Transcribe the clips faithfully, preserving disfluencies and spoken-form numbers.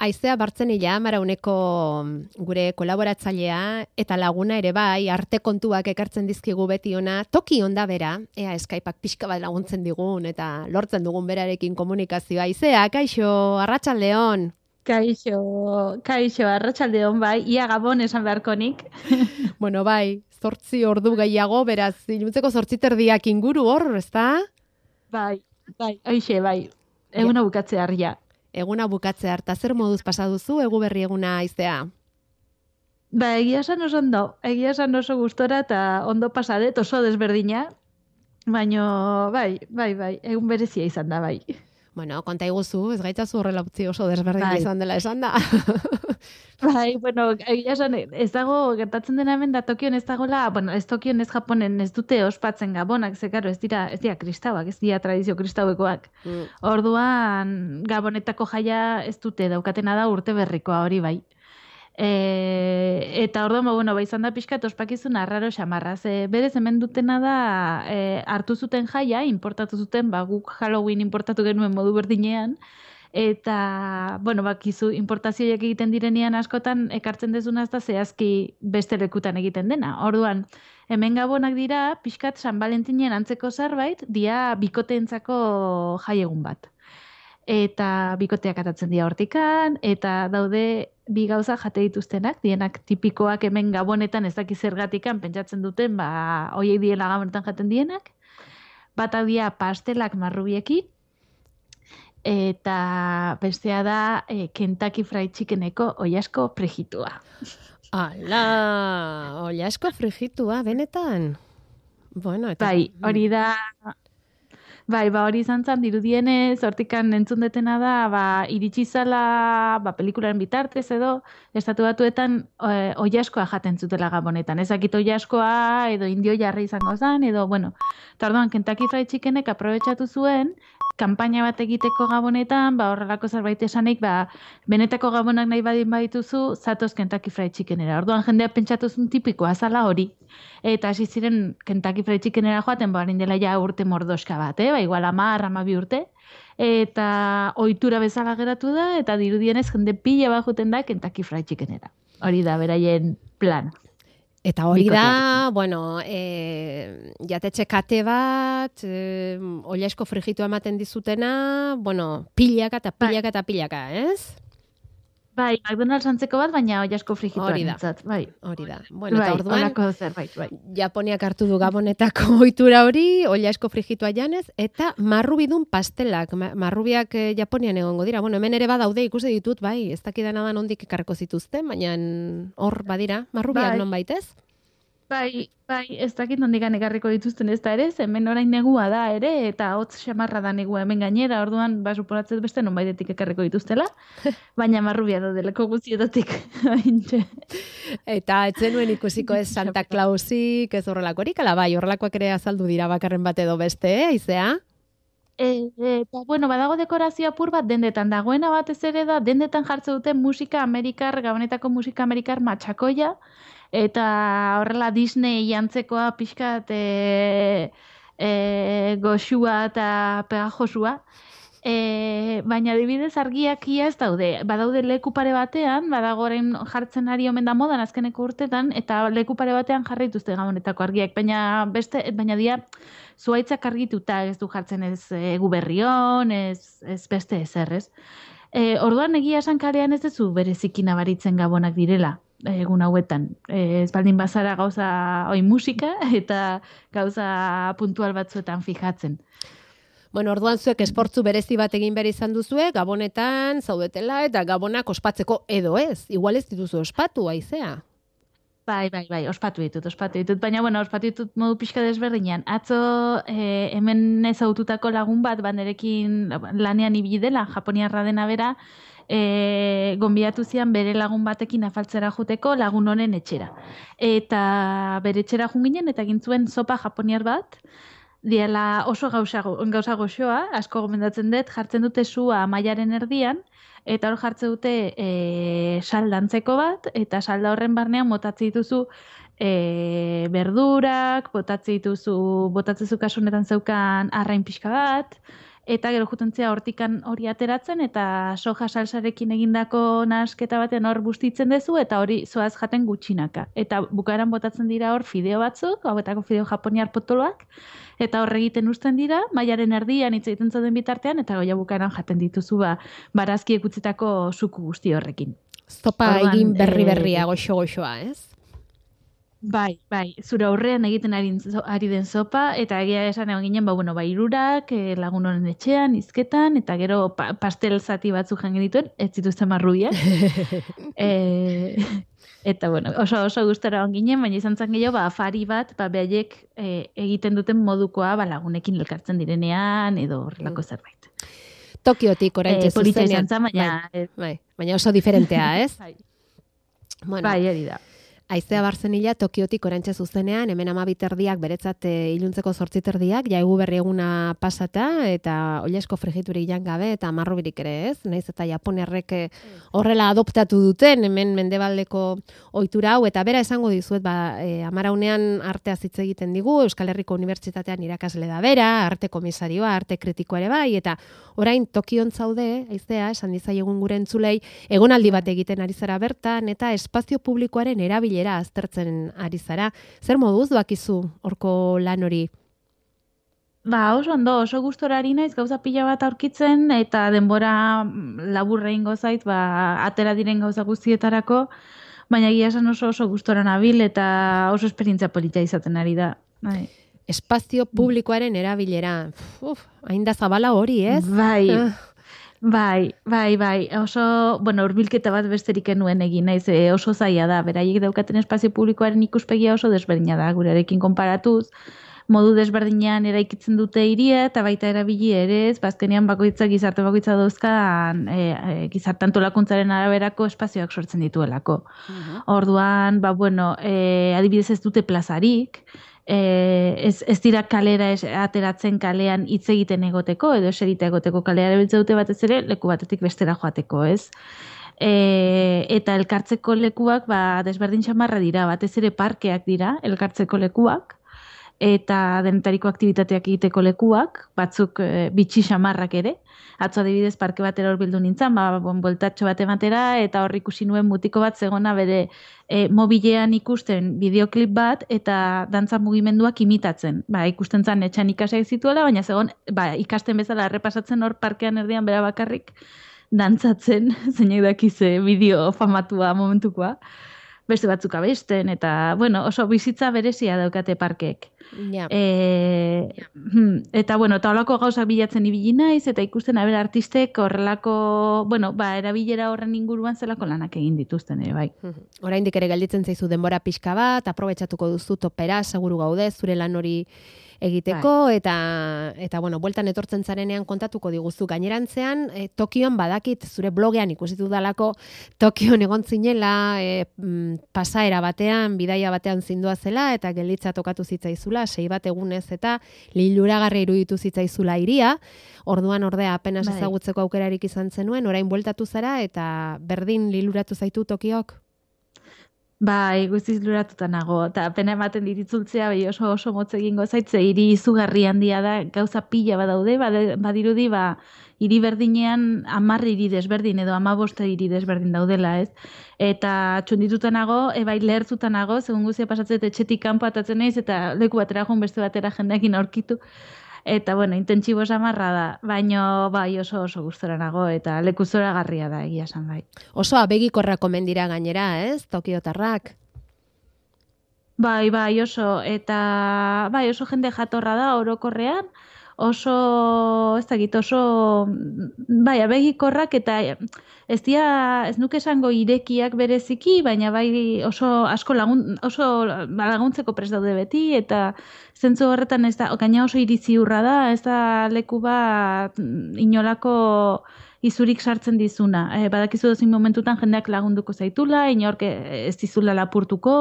Aizea Bartzenila, Marauneko gure kolaboratzailea eta laguna ere bai, arte kontuak ekartzen dizkigu beti ona, toki onda bera, ea Skypeak pixka bat laguntzen digun eta lortzen dugun berarekin komunikazioa. Aizea, kaixo, arratsaldeon. Kaixo, kaixo, arratsaldeon bai, ia Gabon esan beharkonik. Bueno, bai, zortzi ordu gehiago, beraz, iluntzeko zortzi terdiak inguru hor, ezta? Bai, bai, hoixe, bai, eguna bukatzea harria. Eguna bukatzea harta, zer moduz pasa duzu, egu berri eguna Aizea? Ba, egia esan oso ondo, egia esan oso gustora eta ondo pasadet, oso desberdina, baino, bai, bai, bai, egun berezia izan da, bai. Bueno, konta iguzu, ez gaitzazu horrela utzi oso desberdina bai. izan dela esan da. Bai, bueno, egia esan, ez dago, gertatzen dena hemen da Tokion ez dagoela, bueno, ez Tokion ez Japonen ez dute ospatzen Gabonak, ze karo, ez dira, ez dira kristauak, ez dira tradizio kristauekoak. Mm. Orduan, Gabonetako jaia ez dute daukatena da urte berrikoa hori bai. E, eta orduan, ba, bueno, ba, izan da pixkat ospakizun arraro xamarra. Ze, berez hemen dutena da e, hartu zuten jaia, importatu zuten, ba, guk Halloween importatu genuen modu berdinean, eta, bueno, bakizu, importazioak egiten direnean askotan, ekartzen dezuna ez da zehazki beste lekutan egiten dena. Orduan, hemen Gabonak dira, pixkat San Valentinen antzeko zerbait, dia bikoteentzako jaiegun bat. Eta bikoteak atatzen dira hortikan, eta daude bi gauza jate dituztenak, dienak tipikoak hemen Gabonetan ez daki zergatikan pentsatzen duten, ba, hoiek diela Gabonetan jaten dienak, bata dia pastelak marrubiekin, eta bestea da e, Kentucky Fried Chickeneko oilasko frijitua. Ala, oilasko frijitua, benetan? Bueno, eta... Bai, hori da... Bai, ba hori izan zan, dirudienez, hortikan entzun detena da, ba, iritsi zala, ba, pelikularen bitartez edo, estatu batuetan e, oilaskoa jaten zutela Gabonetan. Ezakit oilaskoa edo indio jarri izango zen, edo, bueno, eta orduan, Kentucky Fried Chickenek aprobetxatu zuen, kanpaina bat egiteko Gabonetan, ba, horrelako zerbait esanik, ba, benetako Gabonak nahi badin badituzu, zatoz Kentucky Fried Chickenera. Orduan, jendea pentsatu zuen tipikoa zala hori. Eta hasi ziren Kentucky Fried Chickenera joaten, ba, dela ja urte mordoska bat, eh? Ba, igual hamar, hamabi urte. Eta ohitura bezala geratu da, eta dirudienez jende pila bat joten da Kentucky Fried Chickenera. Hori da, beraien plan. Eta hori da, bueno, e, jatetxe kate bat, e, oilasko frijitua ematen dizutena, bueno, pilaka eta pilaka eta pilaka, ez? Bai, McDonald's antzeko bat, baina oilasko frijitua nintzat, bai. Hori da. Bueno, eta orduan, olako zerbait, bai. Japoniak hartu du Gabonetako ohitura hori, oilasko frijitua janez, eta marrubidun pastelak. Marrubiak eh, Japonian egongo dira. Bueno, hemen ere badaude ikusi ditut, bai, ez dakidana da nondik ekarreko zituzten, baina hor badira, marrubiak bai. Non baitez? Bai, bai, ez dakit nondikan ekarriko dituzten ez da ere, hemen orain negua da ere, eta hotz xamarra da negua hemen gainera, orduan, ba, suporatzez beste non baitetik ekarriko dituztela, baina marrubia da deleko guztietatik. Eta etzenuen ikusiko ez Santa Clausik, ez horrelakorik, ala bai, horrelakoak ere azaldu dira bakarren bat edo beste, eh, Aizea? Eta, bueno, badago dekorazio apur bat dendetan, dagoena batez ere da, dendetan jartze duten musika amerikar, Gabonetako musika amerikar matxakoia, eta horrela Disney jantzekoa pixkat e, e, goxua eta pegajosua. E, baina adibidez argiak ia ez daude. Badaude leku pare batean, badagoren jartzen ari omen da modan azkeneko urtetan, eta leku pare batean jarri dituzte Gabonetako argiak, baina beste, baina dia zuaitzak argituta ez du jartzen ez egu berrion, ez, ez beste ezer, ez. E, orduan egia esan kalean ez duzu bereziki nabaritzen Gabonak direla egun hauetan. E, ez baldin bazara gauza oi musika eta gauza puntual batzuetan fijatzen. Bueno, orduan zuek esportzu berezi bat egin behar izan duzue, Gabonetan zaudetela eta Gabonak ospatzeko edo ez. Igual ez dituzu ospatu, Aizea. Bai, bai, bai, ospatu ditut, ospatu ditut. Baina, bueno, ospatu ditut modu pixka desberdinean. Atzo eh, hemen ezaututako lagun bat, banderekin lanean ibili dela, japoniarra dena bera, e, gonbidatu zian bere lagun batekin afaltzera joteko lagun honen etxera. Eta bere etxera junginen eta egin zuen sopa japoniar bat, diela oso gauza, gauza goxoa, asko gomendatzen dut, jartzen dute sua mailaren erdian, eta hor jartzen dute e, saldantzeko bat, eta salda horren barnean motatzi dituzu e, berdurak, botatzi dituzu, botatzezu kasunetan zeukan arrain pixka bat, eta gero jutentzia hortikan hori ateratzen, eta soja salsarekin egindako nahasketa batean hor bustitzen dezu, eta hori zoaz jaten gutxinaka. Eta bukaeran botatzen dira hor fideo batzuk, hauetako fideo japoniar potoloak, eta hor egiten uzten dira, mailaren erdian hitz egiten zauden bitartean, eta goia bukaeran jaten dituzu ba, barazkiek utzitako suku guzti horrekin. Zopa egin berri-berria, goxo-goxoa, ez? Bai, bai, zure aurrean egiten ari, ari den zopa, eta egia esan egon ginen, ba, bueno, ba, irurak, eh, lagun honen etxean, izketan, eta gero pa, pastel zati batzuk jangen dituen, ez zituzten marruia. e, eta, bueno, oso oso gustora egon ginen, baina izan zen gehiago, ba, afari bat, ba, behaiek e, egiten duten modukoa, ba, lagunekin elkartzen direnean, edo horrelako zerbait. Tokiotik oraintxe e, zuzenean. Polita izan zen, baina... Bai, bai, baina oso diferentea, ez? Bai, bueno. bai, hori da. Aizea Barzenila Tokiotik oraintxe zuzenean, hemen amabit erdiak beretzat e, iluntzeko zortzit erdiak, jaigu berri eguna pasata, eta olesko frigiturik jan gabe, eta marrubirik ere ez, naiz eta Japoniarrek horrela adoptatu duten, hemen mendebaldeko ohitura hau, eta bera esango dizuet, ba, e, amaraunean artea hitz egiten digu, Euskal Herriko Unibertsitatean irakasle da bera, arte komisarioa, arte kritikoa ere bai, eta orain Tokion zaude, aizea, esan dizaiegun gure entzulei, egonaldi bat egiten ari zara bertan, eta espazio publikoaren erabilera aztertzen ari zara. Zer moduz bakizu horko lan hori? Ba, oso ondo, oso gustora ari naiz gauza pila bat aurkitzen, eta denbora laburra ingo zait, ba, atera diren gauza guztietarako, baina egia esan oso oso gustora nabil, eta oso esperientzia polita izaten ari da. Bai. Espazio publikoaren erabilera. Uf, hain da zabala hori, ez? Bai, ah. bai, bai, bai. Oso, bueno, hurbilketa bat besterik enuen egin naiz, e, oso zaila da. Beraiek daukaten espazio publikoaren ikuspegia oso desberdina da, gurearekin konparatuz. Modu desberdinean eraikitzen dute hiria eta baita erabili ere, ez, bazkenean bakoitza gizarte bakoitza dauzkan e, e, gizarte antolakuntzaren araberako espazioak sortzen dituelako. Uh-huh. Orduan, ba, bueno, e, adibidez ez dute plazarik, E, ez, ez dira kalera ez, ateratzen kalean hitz egiten egoteko, edo eserita egoteko kalera erabiltzen dute batez ere, leku batetik bestera joateko, ez? E, eta elkartzeko lekuak, ba, desberdin xamarra dira, batez ere parkeak dira, elkartzeko lekuak, eta denetariko aktibitateak egiteko lekuak, batzuk e, bitxi xamarrak ere. Atzo adibidez parke batera hor bildu nintzen, ba, bon, boltatxo bat ematera, eta hor ikusi nuen mutiko bat zegona bere e, mobilean ikusten bideoklip bat, eta dantza mugimenduak imitatzen. Ba, ikusten zan etxan ikasiak zituela, baina zegon ba, ikasten bezala errepasatzen hor parkean erdian bera bakarrik dantzatzen, zeinek dakize bideo famatua momentukoa, beste batzuk abesten, eta, bueno, oso bizitza berezia daukate parkeek. Ja. E, eta, bueno, eta holako gauzak bilatzen ibili naiz, eta ikusten haber artistek horrelako, bueno, ba, erabilera horren inguruan zelako lanak egin dituzten ere, bai. Oraindik ere gelditzen zaizu denbora pixka bat, aprobetxatuko duzu topera, seguru gaude, zure lan hori egiteko, bai. eta, eta bueno, bueltan etortzen zarenean kontatuko diguzu gainerantzean, e, Tokion badakit, zure blogean ikusitu dalako, Tokion egon zinela, e, pasaera batean, bidaia batean zindua zela, eta gelditza tokatu zitzaizula, sei bat egunez, eta liluragarri iruditu zitzaizula iria, orduan ordea apenas bai. Ezagutzeko aukerarik izan zenuen, orain bueltatu zara, eta berdin liluratu zaitu Tokiok? Bai, guztiz luratuta nago, eta pena ematen diritzultzea, bai oso oso motz egingo zaitze, hiri izugarri handia da, gauza pila badaude, badirudi, ba, hiri berdinean hamar hiri desberdin, edo hamabost hiri desberdin daudela, ez? Eta txundituta nago, e, bai lehertuta nago, segun guztia pasatzen etxetik kanpo atatzen naiz, eta leku batera joan beste batera jendeekin aurkitu. Eta, bueno, intentsibo samarra da, baina bai oso oso gustora nago, eta leku zoragarria da, egia esan bai. Oso abegikorra komen dira gainera, ez, Tokiotarrak? Bai, bai, oso, eta bai, oso jende jatorra da orokorrean, oso, ez dakit, oso, bai, abegikorrak, eta ez dira, ez nuke esango irekiak bereziki, baina bai oso asko lagun, oso laguntzeko prest daude beti, eta zentzu horretan ez da, gaina oso iritzi hurra da, ez da leku bat inolako izurik sartzen dizuna. E, badakizu dozin momentutan jendeak lagunduko zaitula, inork ez dizula lapurtuko,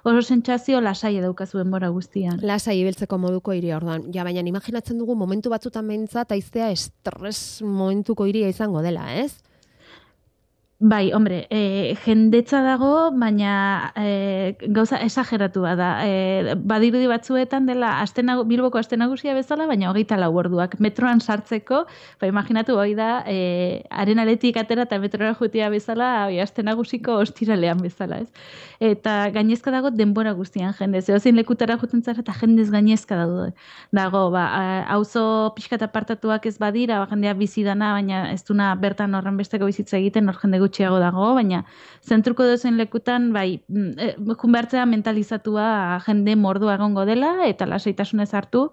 oso sentsazio lasai daukazu denbora guztian. Lasai ibiltzeko moduko hiri orduan. Ja, baina imaginatzen dugu momentu batzutan behintzat aiztea estres momentuko hiria izango dela, ez? Bai, hombre, e, jendetza dago, baina e, gauza esageratua da. E, badirudi batzuetan dela astenagu, Bilboko aste nagusia bezala, baina hogeita lau orduak. Metroan sartzeko, ba, imaginatu hori da, e, arenaletik atera eta metroa jutia bezala, oi, aste nagusiko ostiralean bezala, ez? Eta gainezka dago denbora guztian jende. Zeozein lekutara juten zara eta jendez gainezka dago. Dago, ba, auzo pixka eta apartatuak ez badira, ba, jendea bizi dana, baina ez duna bertan horren besteko bizitza egiten, hor jende gutxiago dago, baina zentruko dozen lekutan, bai, jun behartzea mentalizatua jende mordua egongo dela, eta lasaitasunez hartu,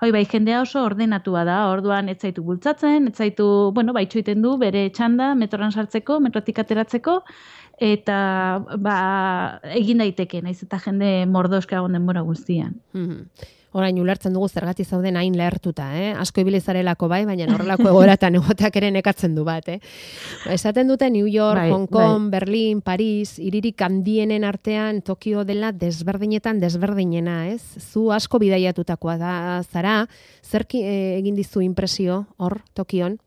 hoi bai, jendea oso ordenatua da, orduan ez zaitu bultzatzen, ez zaitu, bueno, bai, txoiten du, bere txanda, metroran sartzeko, metrotik ateratzeko, eta, ba, egin daiteke, naiz eta jende mordoska egon denbora guztian. Mm-hmm. Orain ulertzen dugu zergatik zauden hain lehertuta, eh? Asko ibilizarelako bai, baina horrelako egoratan egoteak ere nekatzen du bat, eh? Esaten dute New York, bai, Hong Kong, bai. Berlin, Paris, hiririk handienen artean Tokio dela desberdinetan desberdinena, ez? Zu asko bidaiatutakoa da zara, zerki egin dizu impresio hor Tokion?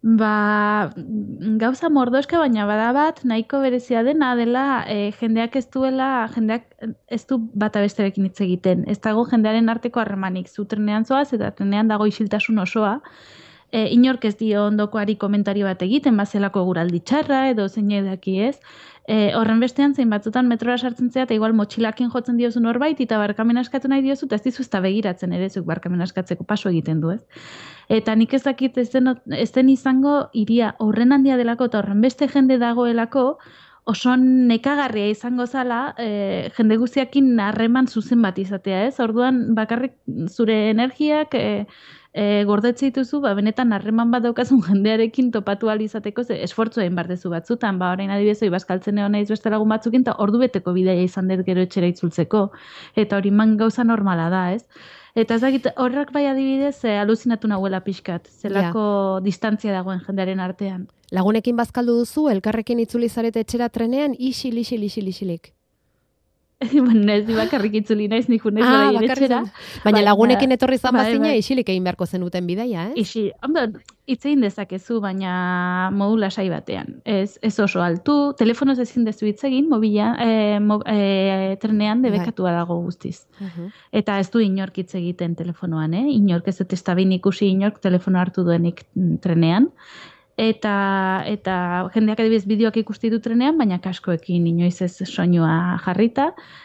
Ba, gauza mordoska, baina bada bat, nahiko berezia dena dela, e, jendeak ez duela, jendeak ez du bata besterekin hitz egiten. Ez dago jendearen arteko harremanik, zu trenean zoaz, eta trenean dago isiltasun osoa. E, inork ez dio ondokoari komentario bat egiten, bazelako guraldi txarra, edo zein edaki ez. E, horren bestean, zein batzutan metrora sartzen zea, eta igual motxilakin jotzen diozu norbait, eta barkamena eskatu nahi diozu, eta ez dizu ez da begiratzen ere, zuk barkamena eskatzeko paso egiten du, ez? Eta nik ez dakit ez den, ez den izango iria horren handia delako eta horren beste jende dagoelako oso nekagarria izango zala e, jende guztiakin harreman zuzen bat izatea, ez? Orduan bakarrik zure energiak e, e, gordetzen dituzu, ba, benetan harreman bat daukazun jendearekin topatu ahal izateko, ze esfortzu egin bardezu batzutan, ba, orain adibidez, ibaskaltzen egon naiz beste lagun batzukin, eta ordu beteko bidaia izan dut gero etxera itzultzeko, eta hori man gauza normala da, ez? Eta ezagit, horrak bai adibidez, e, aluzinatu nahuela pixkat, zelako ja. Distantzia dagoen jendearen artean. Lagunekin bazkaldu duzu, elkarrekin itzuli zarete etxera trenean, isil, isil, isil, isilik. Baina ez bakarrik itzuli naiz, nik unez ah, bera etxera. Baina lagunekin etorri zan bazina, bai, isilik egin beharko zenuten bidaia, eh? Isi, ondo, itzein dezakezu, baina modu lasai batean. Ez, ez oso altu, telefonoz ezin dezu hitz egin, mobila, e, mo, e, trenean debekatua dago guztiz. Uh-huh. Eta ez du inork hitz egiten telefonoan, eh? Inork ez dut estabin ikusi inork telefono hartu duenik trenean. Eta, eta jendeak adibidez bideoak ikusti du trenean, baina kaskoekin inoiz ez soinua jarrita.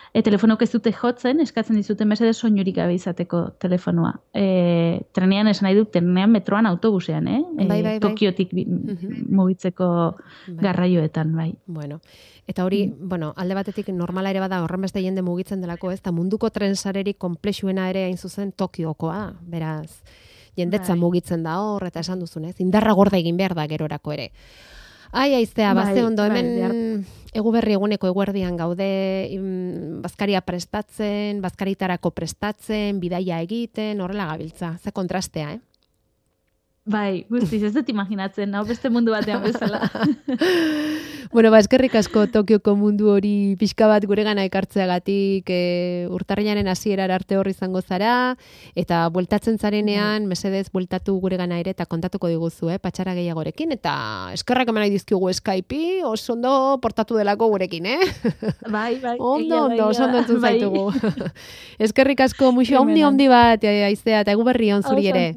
E, telefonok ez dute jotzen, eskatzen dizuten mesedez soinurik gabe izateko telefonoa. E, trenean esan nahi dut, trenean metroan autobusean, eh? E, bai, bai, bai. Tokiotik bi, uh-huh. mugitzeko bai. Garraioetan, bai. Bueno, eta hori, mm. bueno, alde batetik normala ere bada horren beste jende mugitzen delako, ez? Ta munduko trensarerik konplexuena ere hain zuzen Tokiokoa, beraz... Jendetza bai. Mugitzen da hor, eta esan duzunez, indarra gorda egin behar da gerorako ere. Ai, aiztea, bai, baze ondo, hemen bai, egu berri eguneko eguerdian gaude, bazkaria prestatzen, bazkaritarako prestatzen, bidaia egiten, horrela gabiltza, ze kontrastea, eh? Bai, guztiz, ez dut imaginatzen, hau beste mundu batean bezala. Bueno, ba, eskerrik asko Tokioko mundu hori pixka bat guregana ekartzeagatik e, urtarrilaren hasierar arte hor izango zara, eta bueltatzen zarenean, mesedez, bueltatu guregana ere, eta kontatuko diguzu, eh, patxara gehiagorekin, eta eskerrak emanai dizkigu Skype-i, oso ondo portatu delako gurekin, eh? Bai, bai. Ondo, ondo, oso ondo entzun zaitugu. Eskerrik asko, muixo, omni, omdi bat, aiztea, eta egu berri on zuri ere.